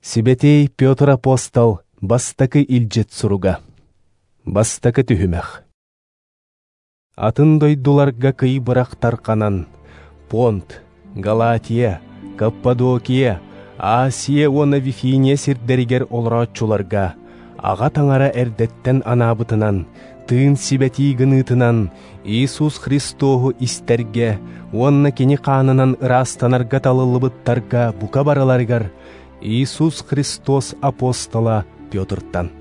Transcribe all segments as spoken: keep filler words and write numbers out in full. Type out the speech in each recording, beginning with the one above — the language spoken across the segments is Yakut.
Сибэтиэй Петр апостол бастакы илдьит суруга. Бастакы түһүмэх. Атын дойдуларга кый бырах тарқанан, Понт, Галатия, Каппадокия, Асия уонна Вифиния сирдэригэр олорооччуларга, аҕа таҥара эрдэттэн анаабытынан, тыын сибэтии гыныытынан Иисус Христоһу истэргэ уонна кини хаанынан ыраастанарга талыллыбыттарга бука барыларыгар Иисус Христос апостола Петртан.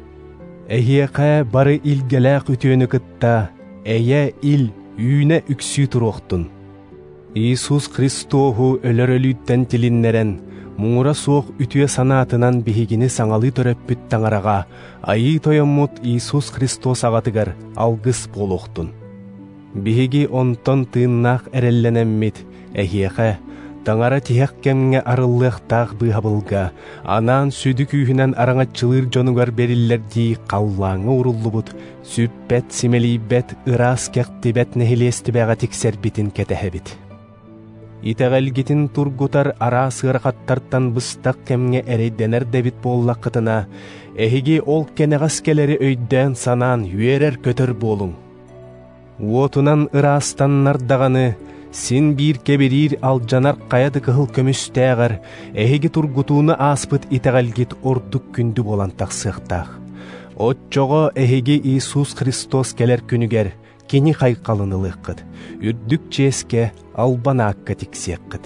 Эһиэхэ бары илгэлээх үтүөнү кытта, эйэ ил үүнэ үксүү туруохтун. Иисус Христоһу өлөр өлүүттэн тилиннэрэн, муҥура суох үтүө санаатынан биһигини саҥалыы төрөппүт таҥараҕа, айыы тойоммут Иисус Христос аҕатыгар алгыс буолуохтун. Биһиги онтон тыыннаах эрэллэнэммит, эһиэхэ, таҥара тиһэх кэмҥэ арыллыахтаах быыһабылга, анаан сүдү күүһүнэн араҥаччылыыр дьонугар бериллэрдии халлааҥҥа уруллубут, сүппэт, симэлийбэт, ыраас кэхтибэт нэһилиэстибэҕэ тиксэрбитин кэтэһэбит. Итэҕэлгитин тургутар араас ыарахаттартан быстах кэмҥэ эрэйдэнэр дэбит буоллаххытына, эһиги ол кэнэҕэс кэлэри өйдөөн санаан үөрэр-көтөр буолуҥ. Уотунан ыраастаннар даҕаны, син биир кэбириир алдьанар хайа да кыһыл көмүстээҕэр, эһиги тургутууну ааспыт итэҕэлгит ордук күндү буолан тахсыахтаах. Оччоҕо эһиги Иисус Христос кэлэр күнүгэр кини хайҕалын ылыаххыт, үрдүк чиэскэ албан аакка тиксиэххит.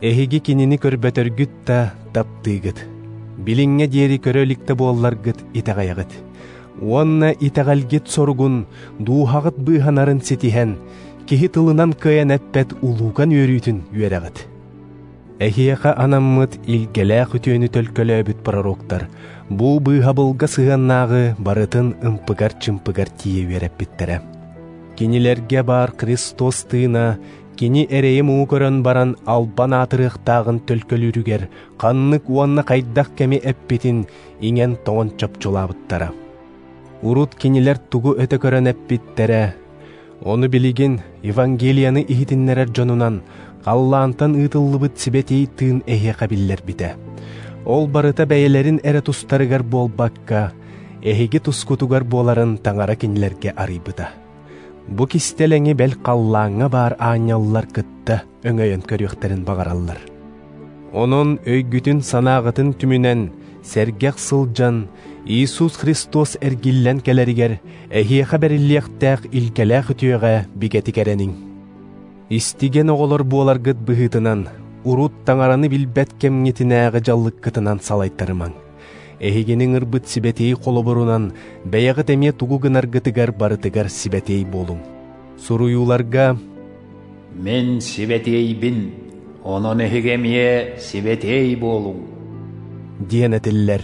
Эһиги кинини көрбөтөргүт да таптыыгыт, билиҥҥэ диэри көрө иликтэ буолларгыт итэҕэйэҕит. Уонна итэҕэлгит соругун, дууһаҕыт быыһанарын ситиһэн, киһи тылынан кыайан эппэт улууган үөрүүтүн үөрэҕит. Эһиэхэ анаммыт илгэлээх үтүөнү төлкөлөөбүт пророктар бу быыһабылга сыһыаннааҕы барытын ымпыгар-чымпыгар тиийэ үөрэппиттэрэ. Кинилэргэ баар Христос тыына кини эрэйи муҥу көрөн баран албан аатырыахтааҕын төлкөлүүрүгэр ханнык уонна хайдах кэми эппитин иҥэн тоҥон чопчулаабыттара. Урут кинилэр тугу өтө көрөн эппиттэрэ, ону билигин Евангелияны иһитиннэрэр дьонунан халлаантан ыытыллыбыт сибэтиэй тыын эһиэхэ биллэрбитэ. Ол барыта бэйэлэрин эрэ тустарыгар буолбакка, эһиги тускутугар буоларын таҥара кинилэргэ арыйбыта. Бу кистэлэҥи бэл халлааҥҥа баар аанньаллар кытта өҥөйөн көрүөхтэрин баҕараллар. Онон өйгүтүн санааҕытын түмүнэн, сэргэх сылдьан, Иисус Христос эргиллэн кэлэригэр эһиэхэ бэриллиэхтээх илгэлээх үтүөҕэ бигэтик эрэниҥ. Истиген оҕолор буоларгыт быһыытынан, урут таҥараны билбэт кэмҥитинээҕи дьаллыккытынан салайтарымаҥ. Эһигиниҥ ырбыт сибэтиэй холобурунан бэйэҕит эмиэ тугу гынаргытыгар барытыгар сибэтиэй буолуҥ. Суруйууларга «Мин сибэтиэйбин, онон эһиги эмиэ сибэтиэй буолуҥ» диэн этиллэр.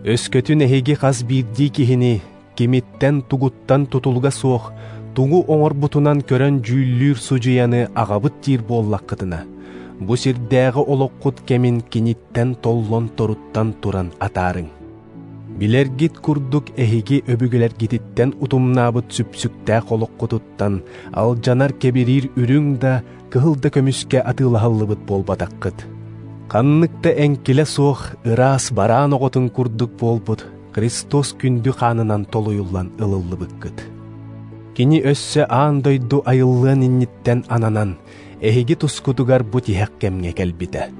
Өскөтүн эһиги хас биирдии киһини кимиттэн тугуттан тутулуга суох, тугу оҥорбутунан көрөн дьүүллүүр судьуйаны аҕабыт диир буоллаххытына, бу сирдээҕи олоххут кэмин киниттэн толлон торуттан туран атаарыҥ. Билэргит курдук эһиги өбүгэлэргититтэн утумнаабыт сүпсүктээх олоххутуттан алдьанар кэбириир үрүҥ да, кыһыл да көмүскэ атыылаһыллыбыт буолбатаххыт. Ханнык да эҥкилэ суох ыраас бараан оҕотун курдук буолбут Христос күндү хаанынан толуйуллан ылыллыбыккыт. Кини өссө аан дойду айыллыан инниттэн ананан, эһиги тускутугар бу тиһэх кэмҥэ кэлбитэ.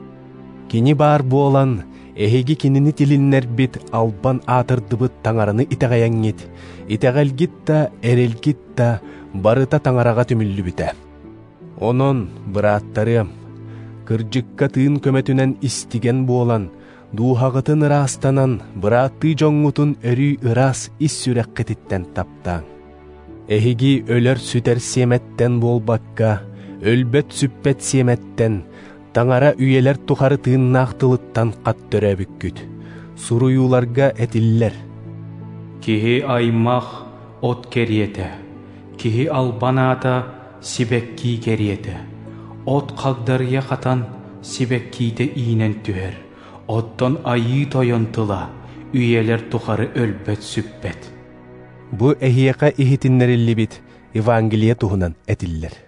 Кини баар буолан, эһиги кинини тилиннэрбит албан аатырдыбыт таҥараны итэҕэйэҥҥит, итэҕэлгит да, эрэлгит да барыта таҥараҕа түмүллүбүтэ. Онон, бырааттарыам, кырдьыкка тыын көмөтүнэн истиген буолан, дууһаҕытын ыраастанан, бырааттыы дьоҥҥутун өрүү ыраас ис сүрэххититтэн таптааҥ. Эһиги өлөр сүтэр сиэмэттэн буолбакка, өлбөт сүппэт сиэмэттэн, таҥара үйэлэр тухары тыыннаах тылыттан хат төрөөбүккүт. Суруйууларга этиллэр: Киһи аймах от кэриэтэ, киһи албан аата сибэккии кэриэтэ. От хагдарыйа хатан сибэккиитэ иинэн түһэр, оттон айыы тойон тыла үйэлэр тухары өлбөт сүппэт. Бу эһиэхэ иһитиннэриллибит Евангелие туһунан этиллэр.